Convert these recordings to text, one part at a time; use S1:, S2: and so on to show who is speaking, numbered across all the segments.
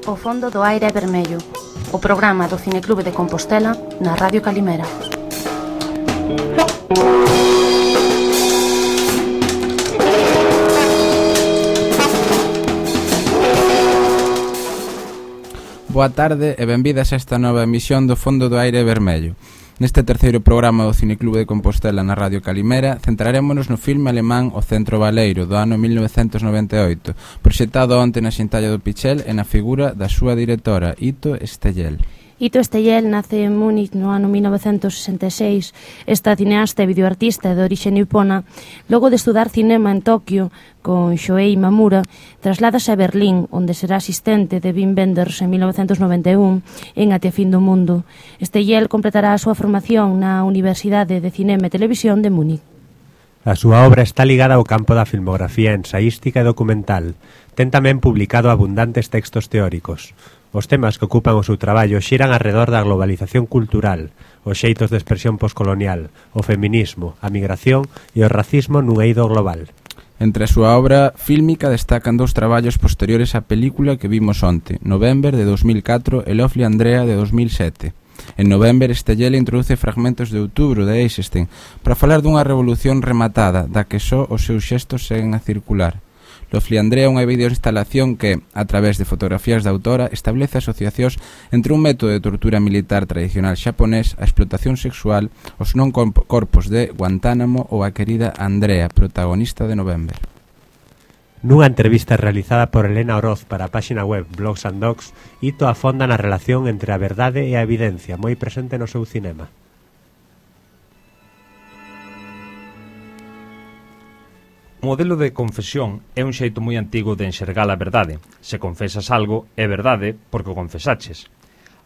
S1: O fondo do aire é vermello. O programa do Cineclube de Compostela na Radio Calimera.
S2: Boa tarde e benvidas a esta nova emisión do Fondo do Aire Vermello. Neste terceiro programa do Cineclube de Compostela na Radio Calimera centrarémonos no filme alemán O Centro Baleiro do ano 1998, proxectado onte na Xintalla do Pichel e na figura da súa directora, Ito Steyel.
S1: Ito Steyel nace en Múnich no ano 1966. Esta cineasta e videoartista de orixe nipona, logo de estudar cinema en Tokio con Shoei Mamura, trasládase a Berlín, onde será asistente de Wim Wenders en 1991 en Até a fin do mundo. Steyel completará a súa formación na Universidade de Cinema e Televisión de Múnich.
S3: A súa obra está ligada ao campo da filmografía ensaística e documental. Ten tamén publicado abundantes textos teóricos. Os temas que ocupan o seu traballo xiran arredor da globalización cultural, os xeitos de expresión poscolonial, o feminismo, a migración e o racismo nun eido global.
S2: Entre a súa obra fílmica destacan dous traballos posteriores á película que vimos onte, November de 2004 e Lovely Andrea de 2007. En November, Steyel introduce fragmentos de Outubro de Eisenstein para falar dunha revolución rematada da que só os seus xestos seguen a circular. Lovely Andrea é unha videoinstalación que, a través de fotografías da autora, establece asociacións entre un método de tortura militar tradicional xaponés, a explotación sexual, os non corpos de Guantánamo ou a querida Andrea, protagonista de November.
S3: Nunha entrevista realizada por Elena Oroz para a páxina web Blogs and Dogs, Ito afonda na relación entre a verdade e a evidencia, moi presente no seu cinema.
S4: O modelo de confesión é un xeito moi antigo de enxergar a verdade. Se confesas algo, é verdade porque o confesaches.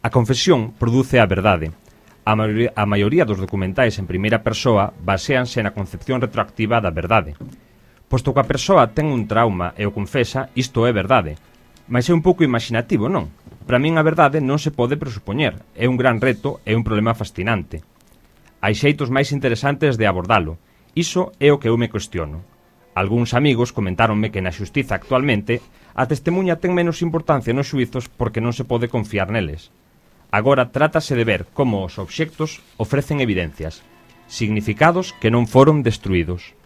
S4: A confesión produce a verdade. A maioría dos documentais en primeira persoa baséanse na concepción retroactiva da verdade. Posto que a persoa ten un trauma e o confesa, isto é verdade. Mas é un pouco imaginativo, non? Para min a verdade non se pode presupoñer. É un gran reto e un problema fascinante. Hai xeitos máis interesantes de abordalo. Iso é o que eu me cuestiono. Algúns amigos comentáronme que na xustiza actualmente a testemunha ten menos importancia nos xuizos porque non se pode confiar neles. Agora trátase de ver como os obxectos ofrecen evidencias, significados que non foron destruídos.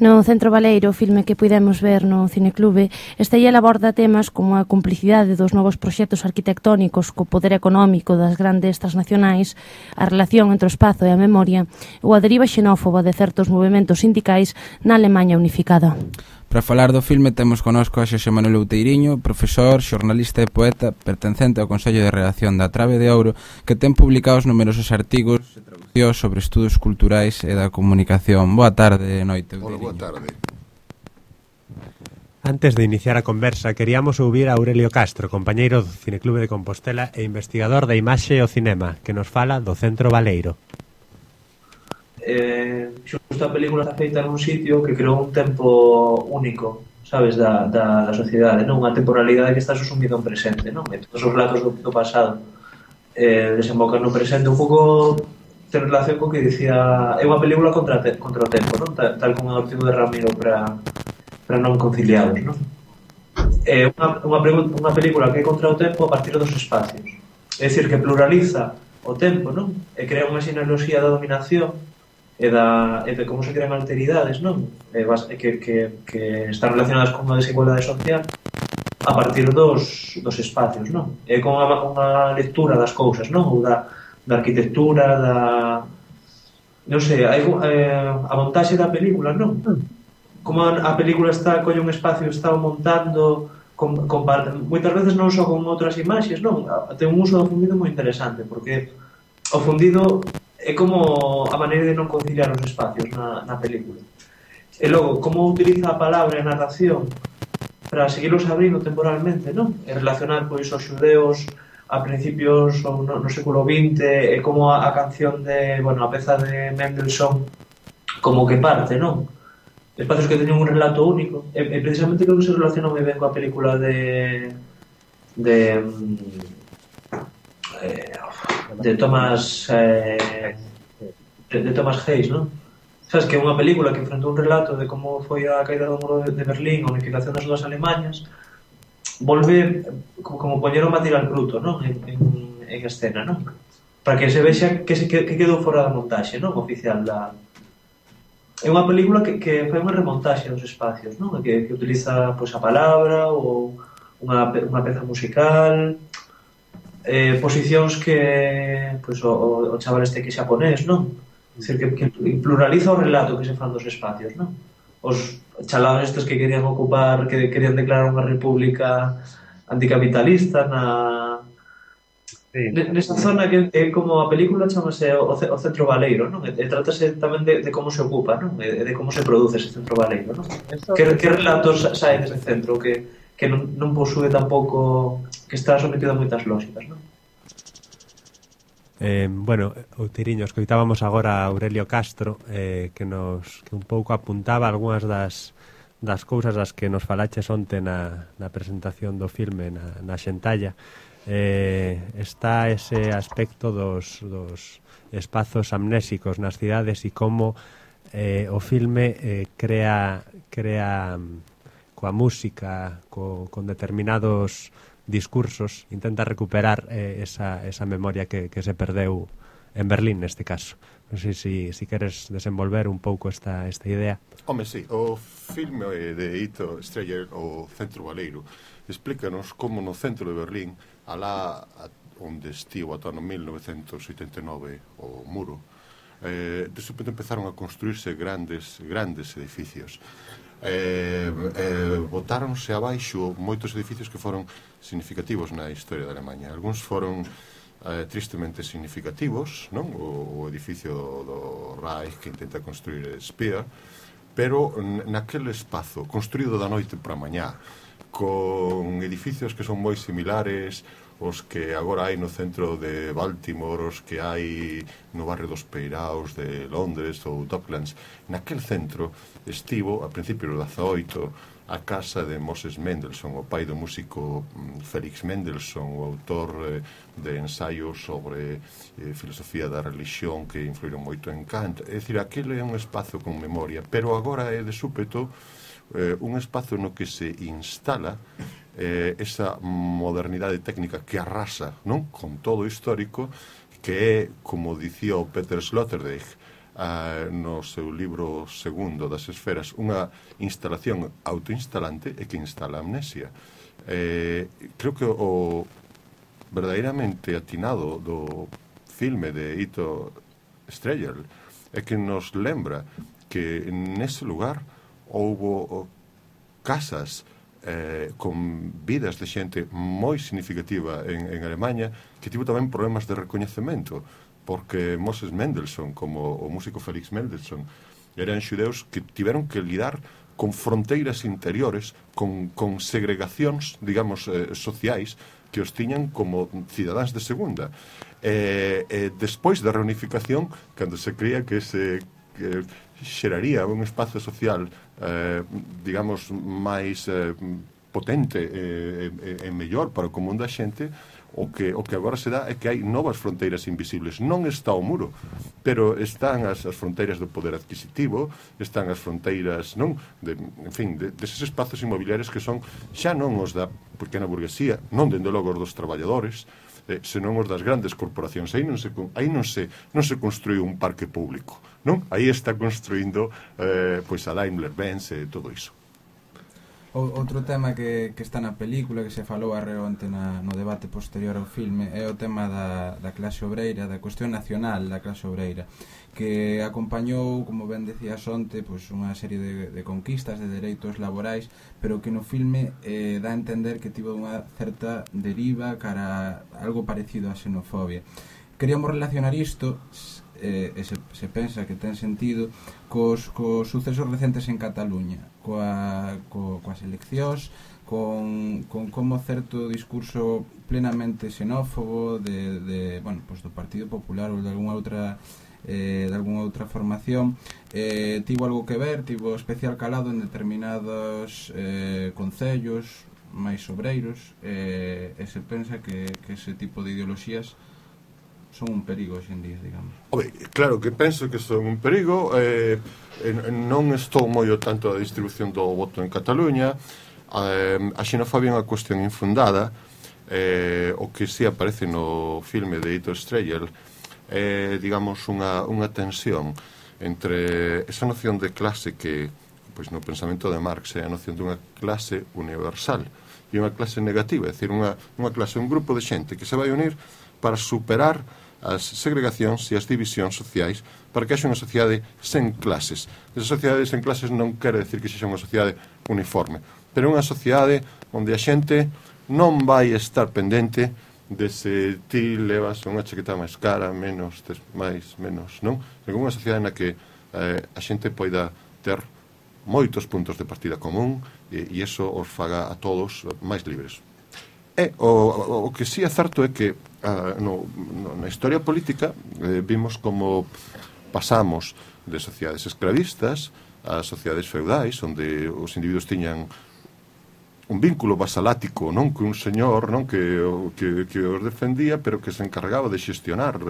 S1: No Centro Baleiro, filme que puidemos ver no Cineclube, Steyel aborda temas como a complicidade dos novos proxectos arquitectónicos co poder económico das grandes transnacionais, a relación entre o espazo e a memoria ou a deriva xenófoba de certos movementos sindicais na Alemanha unificada.
S2: Para falar do filme temos connosco a Xosé Manuel Outeiriño, profesor, xornalista e poeta, pertencente ao Consello de Redacción da Trave de Ouro, que ten publicados numerosos artigos e traducións sobre estudos culturais e da comunicación. Boa tarde, noite, Outeiriño.
S5: Boa tarde.
S3: Antes de iniciar a conversa, queríamos ouvir a Aurelio Castro, compañeiro do Cineclube de Compostela e investigador da imaxe e o cinema, que nos fala do Centro Baleiro.
S6: Xusto a película está feita nun sitio que creou un tempo único, sabes, da sociedade, non? Unha temporalidade que está susumido en presente, non? E todos os relatos do pasado desembocan no presente, un pouco ten relación co que dicía, é unha película contra o tempo, non? Tal como o artigo de Ramiro para non conciliados, non? É unha película que é contra o tempo a partir dos espacios, é dicir, que pluraliza o tempo, non? E crea unha sinoloxía da dominación e de como se crean alteridades, non? Que están relacionadas con a desigualdade social a partir dos espacios, non? É con unha lectura das cousas, non? Ou da arquitectura, non sei, a montaxe da película, non? Como a película colle un espacio, está montando moitas veces non só con outras imaxes, non? Ten un uso do fundido moi interesante, porque o fundido é como a maneira de non conciliar os espacios na película. E logo, como utiliza a palabra e a narración para seguirlos abrindo temporalmente, non? E relacionar, pois, os xudeos a principios no século XX e como a canción a peza de Mendelssohn como que parte, non? Espacios que teñen un relato único. E precisamente creo que se relaciona moi ben coa película de Thomas de Thomas Hayes, non? Sabes que é unha película que enfrentou un relato de como foi a caída do muro de Berlín, a unificación das dúas Alemañas, volve como poñer o material bruto, non? En escena, non? Para que se vexa que quedou fora da montaxe, non? Oficial da... É unha película que fai unha remontaxe dos espacios, non? Que utiliza pois, a palabra ou unha peza musical, posicións que pois, o chaval este que é xaponés, non? Dicir, que pluraliza o relato que se fan dos espacios, non? Os chalados estes que querían ocupar, que querían declarar unha república anticapitalista nesa zona que é como a película chamase o centro baleiro, non? E trátase tamén de como se ocupa, non? E de como se produce ese centro baleiro, non? Que relatos saen dese centro que non posúe tampouco, que está sometido a moitas lógicas, non?
S3: Bueno, Outiriño, escoitábamos agora a Aurelio Castro que un pouco apuntaba algunhas das cousas das que nos falaches onte na presentación do filme na Xentalla. Está ese aspecto dos espazos amnésicos nas cidades e como o filme crea coa música, con determinados discursos, intenta recuperar esa memoria que se perdeu en Berlín neste caso. Non sei se queres desenvolver un pouco esta idea.
S5: Home, sí, o filme de Ito Streyer, o Centro Baleiro, explícanos como no centro de Berlín, alá onde estivo ata no 1989 o muro, de súpeto empezaron a construirse grandes edificios. Botáronse abaixo moitos edificios que foron significativos na historia da Alemanha. Algúns foron tristemente significativos, non? O edificio do Reich que intenta construir Speer, pero naquele espazo construído da noite para mañá, con edificios que son moi similares os que agora hai no centro de Baltimore, os que hai no barrio dos Peiraos de Londres ou Docklands. Naquel centro estivo, a principios do 18, a casa de Moses Mendelssohn, o pai do músico Felix Mendelssohn, o autor de ensaios sobre filosofía da religión que influíron moito en Kant. É dicir, aquele é un espazo con memoria, pero agora é de súpeto un espazo no que se instala esa modernidade técnica que arrasa, non? Con todo o histórico, que é, como dicía o Peter Sloterdijk no seu libro segundo das esferas, unha instalación autoinstalante e que instala amnesia. Creo que o verdadeiramente atinado do filme de Ito Streyer é que nos lembra que nese lugar houbo casas con vidas de xente moi significativa en Alemanha que tivo tamén problemas de recoñecemento, porque Moses Mendelssohn, como o músico Felix Mendelssohn, eran xudeus que tiveron que lidar con fronteiras interiores, con segregacións, digamos, sociais, que os tiñan como cidadáns de segunda. Despois da reunificación, cando se cría que se xeraría un espazo social digamos máis potente e mellor para o común da xente, o que agora se dá é que hai novas fronteiras invisibles. Non está o muro, pero están as fronteiras do poder adquisitivo, están as fronteiras, non, deses espazos inmobiliarios que son xa non os da pequena burguesía, non dende logo os dos traballadores, senón os das grandes corporacións. Aí non se construiu un parque público, non? Aí está construindo pois a Daimler-Benz e todo iso.
S2: Outro tema que está na película, que se falou arreonte no debate posterior ao filme, é o tema da clase obreira, da cuestión nacional da clase obreira, que acompañou, como ben decías onte, pois unha serie de conquistas de dereitos laborais, pero que no filme dá a entender que tivo unha certa deriva cara a algo parecido á xenofobia. Queríamos relacionar isto, se pensa que ten sentido, cos sucesos recentes en Cataluña, coas eleccións, con como certo discurso plenamente xenófobo do Partido Popular ou de algunha outra formación tivo algo que ver, tivo especial calado en determinados concellos máis obreiros, e se pensa que ese tipo de ideoloxías son un perigo hoxe en día, digamos.
S5: Claro que penso que son un perigo, non estou moi ao tanto da distribución do voto en Cataluña. A xenofobia é unha cuestión infundada. O que si aparece no filme de Heitor Strehel é, digamos, unha tensión entre esa noción de clase que, pois, no pensamento de Marx é a noción dunha clase universal e unha clase negativa, é dicir, unha clase, un grupo de xente que se vai unir para superar as segregacións e as divisións sociais para que haxa unha sociedade sen clases. Esa sociedade sen clases non quere decir que sexa unha sociedade uniforme, pero unha sociedade onde a xente non vai estar pendente de se ti levas unha chaqueta máis cara, menos, máis, menos, non? É unha sociedade na que a xente poida ter moitos puntos de partida común e iso os faga a todos máis libres. E o que sí é certo é que na historia política vimos como pasamos de sociedades esclavistas a sociedades feudais, onde os individuos tiñan un vínculo vasalático, non, que un señor, non, que os defendía, pero que se encargaba de xestionar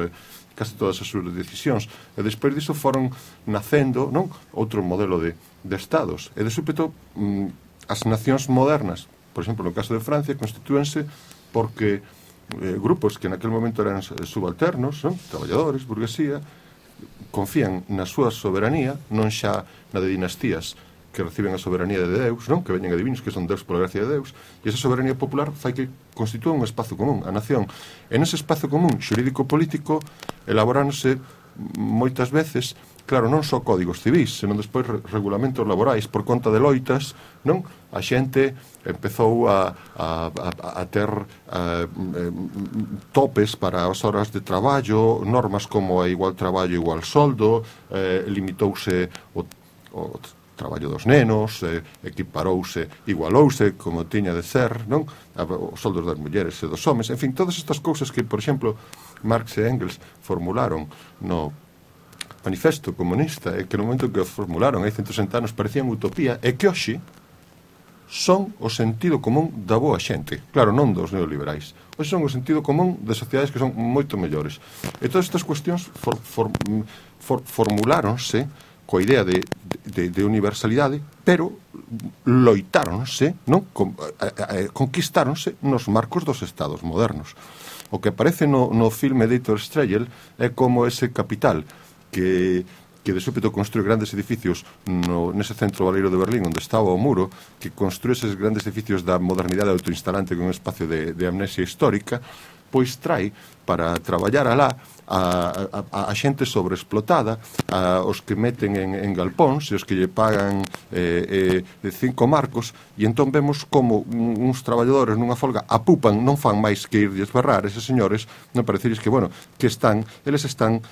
S5: casi todas as súas decisións. E despois disso foron nacendo, non, outro modelo de estados. E de súpeto as nacións modernas, por exemplo, no caso de Francia, constitúense porque grupos que naquele momento eran subalternos, non, traballadores, burguesía, confían na súa soberanía, non xa na de dinastías que reciben a soberanía de Deus, non? Que veñen adivinos que son Deus pola gracia de Deus, e esa soberanía popular fai que constitúa un espazo común, a nación. E nese espazo común xurídico-político elaborándose moitas veces, claro, non só códigos civis, senón despois regulamentos laborais por conta de loitas, non? A xente empezou a ter topes para as horas de traballo, normas como a igual traballo, igual soldo, limitouse o traballo dos nenos, equiparouse, igualouse como tiña de ser, non? Os soldos das mulleres e dos homes, en fin, todas estas cousas que, por exemplo, Marx e Engels formularon no Manifesto Comunista, e que no momento que o formularon hai 160 anos parecían utopía, e que hoxe son o sentido común da boa xente, claro, non dos neoliberais. Hoxe son o sentido común de sociedades que son moito mellores. E todas estas cuestións formuláronse coa idea de universalidade, pero loitáronse, non? Conquistáronse nos marcos dos estados modernos. O que aparece no filme de Heitor Strehel é como ese capital que de súpeto construe grandes edificios nese centro baleiro de Berlín onde estaba o muro, que construe eses grandes edificios da modernidade autoinstalante con un espacio de amnesia histórica, pois trae para traballar alá a xente sobreexplotada, os que meten en galpóns e os que lle pagan 5 marcos, e entón vemos como uns traballadores nunha folga apupan, non fan máis que ir desbarrar eses señores, non parecerles que, bueno, que eles están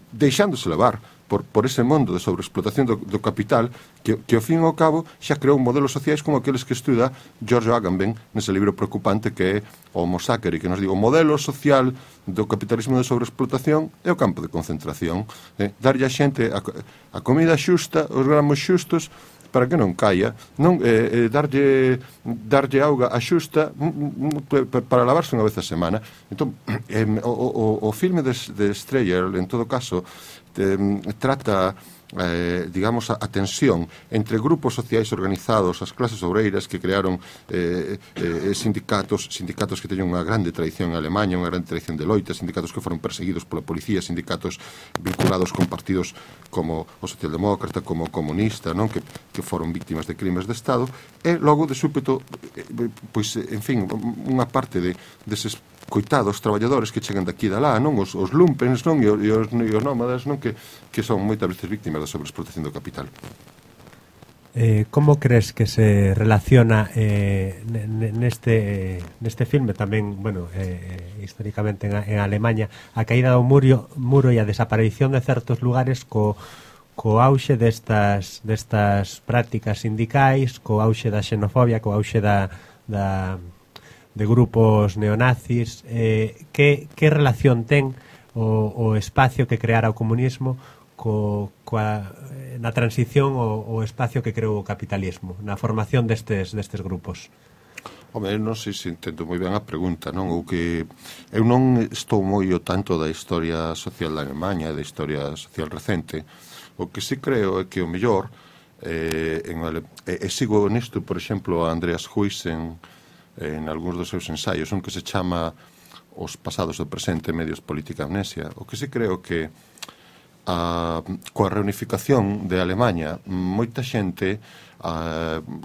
S5: deixándose levar por ese mundo de sobreexplotación do capital que ao fin e ao cabo xa creou modelos sociais como aqueles que estuda Giorgio Agamben nese libro preocupante que é o Homo Saccari, que nos digo o modelo social do capitalismo de sobreexplotación é o campo de concentración, darlle a xente a comida xusta, os gramos xustos para que non caia, non darlle auga a xusta para lavarse unha vez a semana. Entón, o filme de Strehel, en todo caso, trata, digamos, a tensión entre grupos sociais organizados, as clases obreiras que crearon sindicatos que teñen unha grande tradición en Alemanha, unha grande tradición de loita, sindicatos que foron perseguidos pola policía, sindicatos vinculados con partidos como o socialdemócrata, como o comunista, non? Que foron víctimas de crimes de Estado, e logo de súpeto, pois, en fin, unha parte deses coitados traballadores que chegan daqui e da lá, non? Os lumpens, non? E os nómadas, non? Que son moitas veces víctimas da sobreexplotación do capital.
S3: Como crees que se relaciona neste filme tamén, bueno, históricamente en Alemanha, a caída do muro e a desaparición de certos lugares co auxe destas prácticas sindicais, co auxe da xenofobia, co auxe de grupos neonazis, que relación ten o espacio que creara o comunismo na transición o espacio que creou o capitalismo, na formación destes grupos?
S5: Home, non sei se entendo moi ben a pregunta, non? O que eu non estou moi ao tanto da historia social da Alemanha, da historia social recente. O que sí creo é que o mellor sigo nisto, por exemplo, a Andreas Huysen en algúns dos seus ensaios, un que se chama Os pasados do presente, medios, política, amnesia. O que sí creo que coa reunificación de Alemanha, moita xente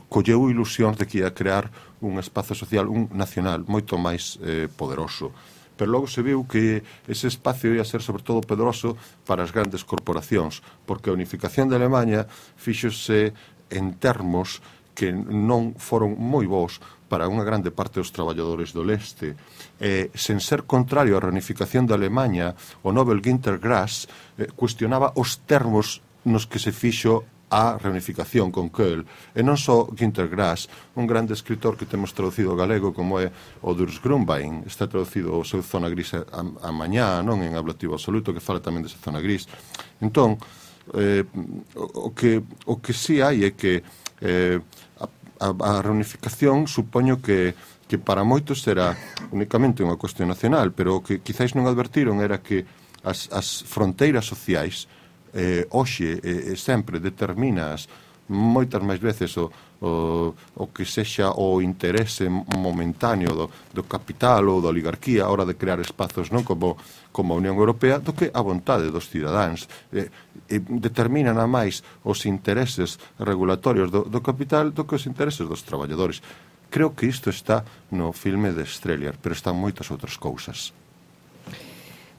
S5: colleu ilusións de que ia crear un espazo social, un nacional, moito máis poderoso. Pero logo se viu que ese espacio ia ser sobre todo poderoso para as grandes corporacións, porque a unificación de Alemanha fíxose en termos que non foron moi bons para unha grande parte dos traballadores do leste. Sen ser contrario á reunificación de Alemanha, o Nobel Günter Grass cuestionaba os termos nos que se fixo a reunificación con Kohl. E non só Günter Grass, un grande escritor que temos traducido ao galego como é o Urs Grunbein, está traducido o seu Zona Gris a mañá, non en ablativo absoluto, que fala tamén desa zona gris. Entón, o que sí hai é que a reunificación supoño que para moitos era únicamente unha cuestión nacional, pero o que quizáis non advertiron era que as fronteiras sociais hoxe sempre determinas moitas máis veces o que sexa o interese momentáneo do capital ou da oligarquía a hora de crear espazos non como a Unión Europea do que a vontade dos cidadáns. Determinan a máis os intereses regulatorios do capital do que os intereses dos traballadores. Creo que isto está no filme de Streliar, pero están moitas outras cousas.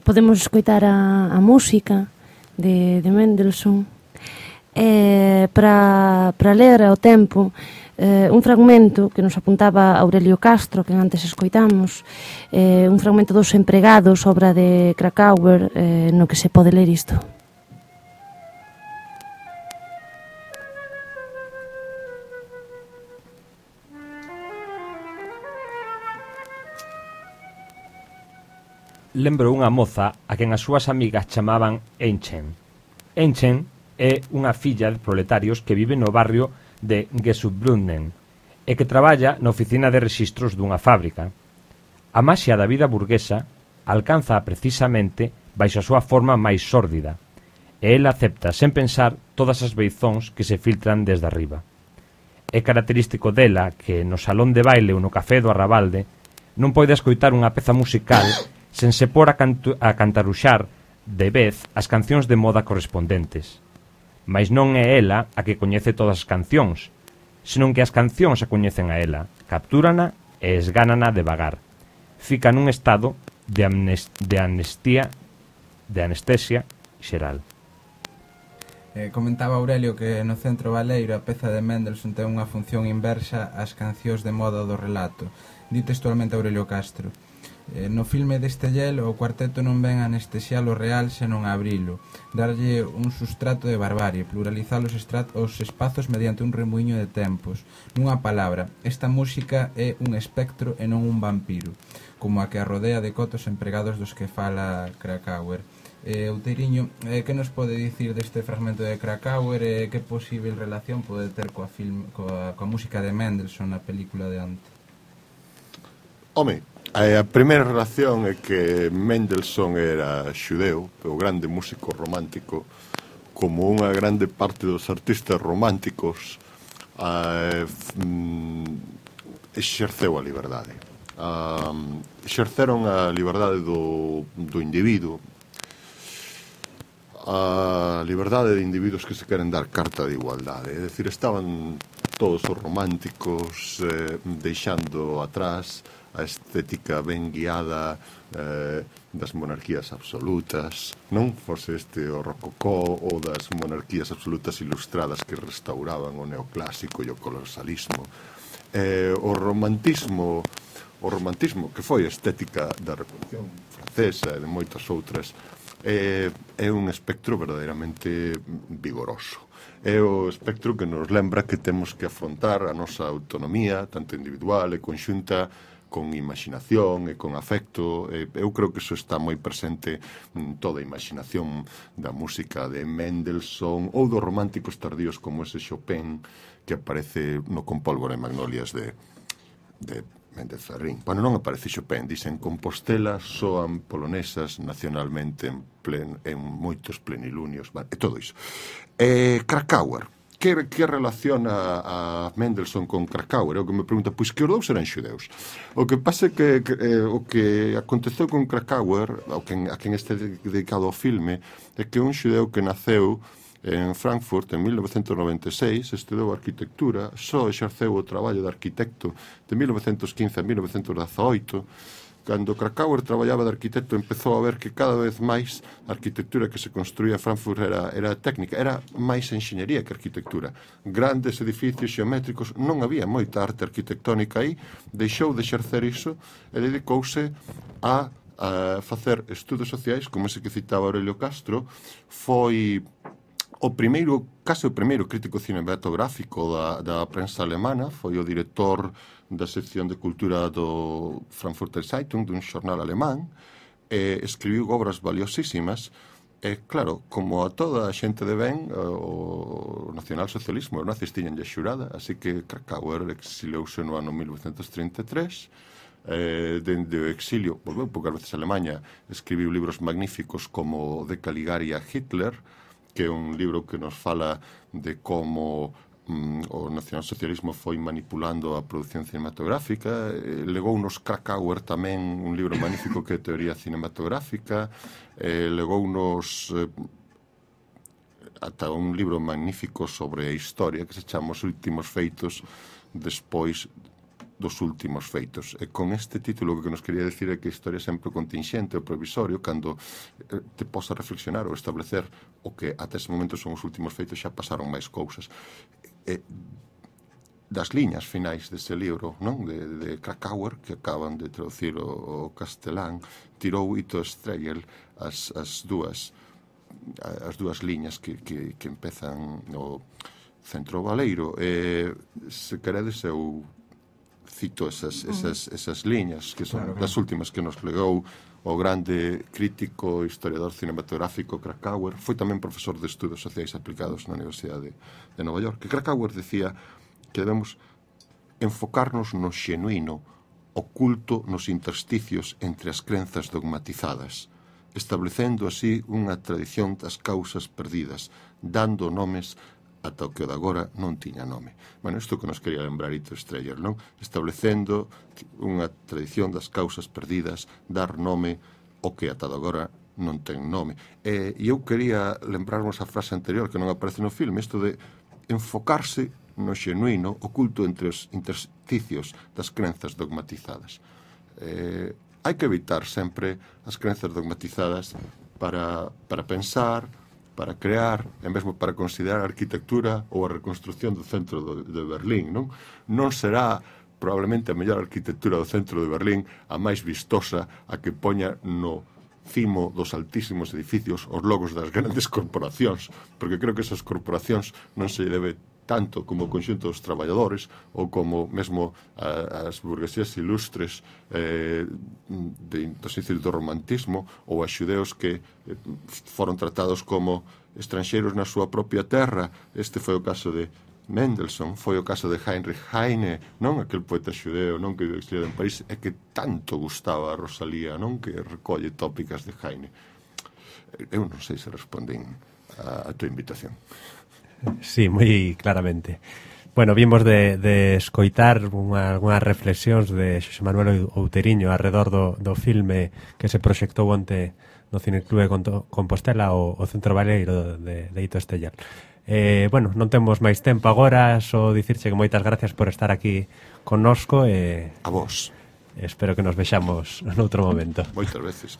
S1: Podemos escoitar a música de Mendelssohn para ler ao tempo un fragmento que nos apuntaba Aurelio Castro, que antes escoitamos, un fragmento dos empregados, obra de Krakauer, no que se pode ler isto.
S4: Lembro unha moza a quen as súas amigas chamaban Enchen. Enchen é unha filla de proletarios que vive no barrio de Gesubrunnen e que traballa na oficina de rexistros dunha fábrica. A maxia da vida burguesa alcanza precisamente baixo a súa forma máis sórdida e ela acepta sen pensar todas as beizóns que se filtran desde arriba. É característico dela que no salón de baile ou no café do Arrabalde non pode escoitar unha peza musical sen se por a cantaruxar de vez as cancións de moda correspondentes. Mais non é ela a que coñece todas as cancións, senón que as cancións a coñecen a ela, captúrana e esgánana devagar. Fica nun estado de anestesia xeral.
S2: Comentaba Aurelio que no Centro Baleiro a peza de Mendelssohn ten unha función inversa ás cancións de moda do relato. Di textualmente Aurelio Castro: no filme deste Yel o cuarteto non ven a anestesiar o real senón a abrilo, darlle un sustrato de barbarie, pluralizar os espazos mediante un remuiño de tempos. Nunha palabra, esta música é un espectro e non un vampiro, como a que a rodea de cotos empregados dos que fala Krakauer. Outeiriño, que nos pode dicir deste fragmento de Krakauer e que posible relación pode ter coa música de Mendelssohn na película de Ante?
S5: Home, a primeira relación é que Mendelssohn era xudeu, o grande músico romántico, como unha grande parte dos artistas románticos exerceu a liberdade. Exerceron a liberdade do individuo, a liberdade de individuos que se queren dar carta de igualdade. É dicir, estaban todos os románticos deixando atrás a estética ben guiada das monarquías absolutas, non fose o rococó ou das monarquías absolutas ilustradas que restauraban o neoclásico e o colosalismo. O romantismo que foi a estética da Revolución Francesa e de moitas outras é un espectro verdadeiramente vigoroso. É o espectro que nos lembra que temos que afrontar a nosa autonomía, tanto individual e conxunta, con imaginación e con afecto. Eu creo que iso está moi presente en toda a imaginación da música de Mendelssohn ou dos románticos tardíos como ese Chopin que aparece no Con pólvora e magnolias de Méndez Ferrín. Bueno, non aparece Chopin, dicen Compostela soan polonesas nacionalmente en moitos plenilunios, e todo iso. Krakauer, que relaciona a Mendelssohn con Krakauer? É o que me pregunta, pois que os dous eran xudeus. O que pasa é que o que aconteceu con Krakauer, a quen este dedicado ao filme, é que un xudeu que naceu en Frankfurt en 1996, estudou arquitectura, só exerceu o traballo de arquitecto de 1915 a 1918. Cando Krakauer traballaba de arquitecto, empezou a ver que cada vez máis a arquitectura que se construía en Frankfurt era técnica, era máis enxeñería que arquitectura. Grandes edificios xeométricos, non había moita arte arquitectónica aí, deixou de exercer iso e dedicouse a facer estudos sociais, como ese que citaba Aurelio Castro. Foi o primeiro crítico cinematográfico da prensa alemana, foi o director da sección de cultura do Frankfurter Zeitung, dun xornal alemán, escribiu obras valiosísimas, e claro, como a toda a xente de ben, o nacionalsocialismo, os nazis tiñanlle xurada, así que Krakauer exiliouse no ano 1933, dende o exilio, volveu poucas veces a Alemanha, escribiu libros magníficos como De Caligari a Hitler, que é un libro que nos fala de como o nacionalsocialismo foi manipulando a produción cinematográfica. Legou nos Krakauer tamén un libro magnífico que é Teoría Cinematográfica, legou nos ata un libro magnífico sobre a historia que se chama Os últimos feitos despois dos últimos feitos. E con este título o que nos quería decir é que a historia é sempre contingente ou provisorio, cando te posa reflexionar ou establecer o que ata ese momento son os últimos feitos, xa pasaron máis cousas. Das liñas finais dese libro, non, de Krakauer, que acaban de traducir o castelán, tirou Ito Stregel as dúas liñas que empezan no centro baleiro. Se queredes, eu cito esas liñas que son das últimas que nos legou o grande crítico, historiador cinematográfico Krakauer. Foi tamén profesor de estudos sociais aplicados na Universidade de Nova York. Que Krakauer decía que debemos enfocarnos no xenuíno, oculto nos intersticios entre as crenzas dogmatizadas, establecendo así unha tradición das causas perdidas, dando nomes ata o que o de agora non tiña nome. Bueno, isto que nos quería lembrar Ito Stregel, non? Establecendo unha tradición das causas perdidas, dar nome ao que ata de agora non ten nome. E eu quería lembrarnos a frase anterior que non aparece no filme, isto de enfocarse no xenuíno, oculto entre os intersticios das crenzas dogmatizadas. Hai que evitar sempre as crenzas dogmatizadas para pensar, para crear, e mesmo para considerar a arquitectura ou a reconstrucción do centro de Berlín, non? Non será probablemente a mellor arquitectura do centro de Berlín a máis vistosa, a que poña no cimo dos altísimos edificios os logos das grandes corporacións, porque creo que esas corporacións non se debe tanto como o conxunto dos traballadores ou como mesmo as burguesías ilustres dos inicios do romantismo ou a xudeos que foron tratados como estranxeiros na súa propia terra. Este foi o caso de Mendelssohn, foi o caso de Heinrich Heine, non? Aquel poeta xudeo, non, que exiliado en París e que tanto gustaba a Rosalía, non, que recolle tópicas de Heine. Eu non sei se respondín a tua invitación.
S3: Sí, moi claramente. Bueno, vimos de escoitar algunhas reflexións de Xosé Manuel Outeriño arredor do filme que se proxectou onte no Cineclube Compostela, o Centro Baleiro de Ito Stregel. Bueno, non temos máis tempo agora, só dicirche que moitas gracias por estar aquí connosco e
S5: a vos.
S3: Espero que nos vexamos noutro momento.
S5: Moitas veces.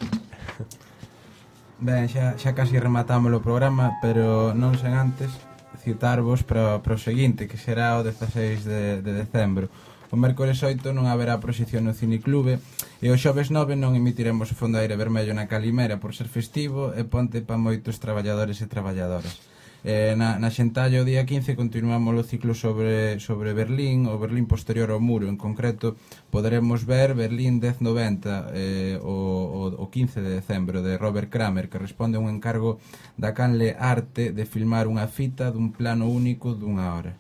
S2: Ben, xa casi rematamos o programa, pero non sen antes citarvos para o seguinte, que será o 16 de decembro. O mércores 8 non haberá proxección no Cineclube e o xoves 9 non emitiremos o Fondoaire Vermello na Calimera por ser festivo e ponte pa moitos traballadores e traballadoras. Na xentalla o día 15 continuamos o ciclo sobre Berlín, o Berlín posterior ao muro. En concreto, poderemos ver Berlín 1090 o 15 de decembro, de Robert Kramer, que responde a un encargo da Canle Arte de filmar unha fita dun plano único dunha hora.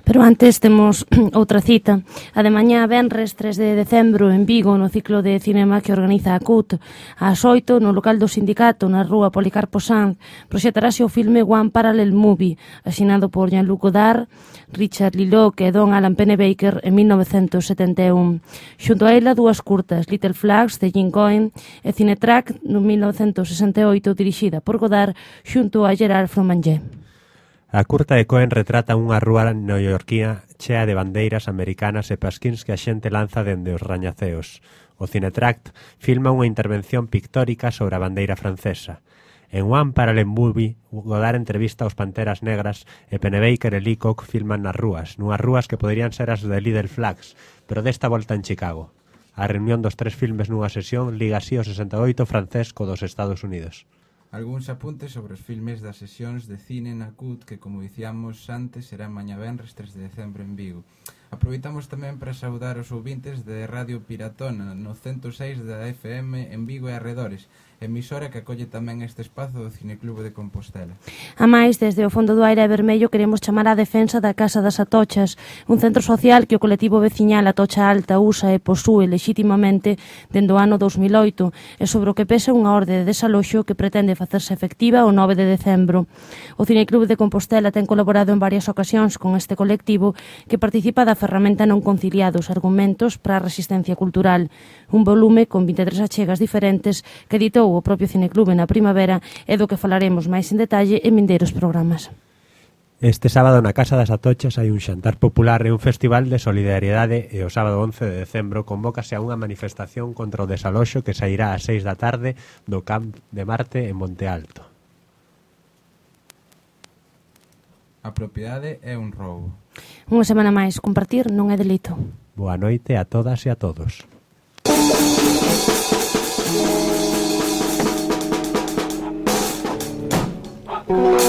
S1: Pero antes temos outra cita. A de mañá, venres 3 de decembro, en Vigo, no ciclo de cinema que organiza a CUT. Ás 8, no local do sindicato, na rúa Policarpo Sanz, proxetarase o filme One Parallel Movie, asinado por Jean-Luc Godard, Richard Lilloc e Don Alan Pennebaker en 1971. Xunto a ela, dúas curtas, Little Flags, de Jim Cohen, e Cinetrack, no 1968, dirixida por Godard, xunto a Gerard Fromanger.
S3: A curta de Cohen retrata unha rúa neoyorquina chea de bandeiras americanas e pasquíns que a xente lanza dende os rañaceos. O Cinetract filma unha intervención pictórica sobre a bandeira francesa. En One Parallel Movie, Godard entrevista aos Panteras Negras e Pennebaker e Leacock filman nas rúas, nunhas rúas que poderían ser as de Little Flags, pero desta volta en Chicago. A reunión dos tres filmes nunha sesión liga así o 68 francés co dos Estados Unidos.
S2: Algúns apuntes sobre os filmes das sesións de cine na CUT que, como dicíamos antes, serán mañá venres 3 de decembro en Vigo. Aproveitamos tamén para saudar os ouvintes de Radio Piratona no 106 da FM en Vigo e arredores, emisora que acolle tamén este espazo do Cineclube de Compostela.
S1: A máis, desde o fondo do aire vermello queremos chamar á defensa da Casa das Atochas, un centro social que o colectivo veciñal Atocha Alta usa e posúe lexitimamente dende o ano 2008 e sobre o que pesa unha orde de desaloxo que pretende facerse efectiva o 9 de decembro. O Cineclube de Compostela ten colaborado en varias ocasións con este colectivo que participa da ferramenta non conciliados argumentos para a resistencia cultural, un volume con 23 achegas diferentes que editou o propio Cineclube na primavera e do que falaremos máis en detalle en vindeiros programas.
S3: Este sábado na Casa das Atochas hai un xantar popular e un festival de solidariedade e o sábado 11 de decembro convócase a unha manifestación contra o desaloxo que sairá ás 6 da tarde do Camp de Marte en Monte Alto.
S2: A propiedade é un roubo.
S1: Unha semana máis, compartir non é delito.
S3: Boa noite a todas e a todos.
S7: Thank you.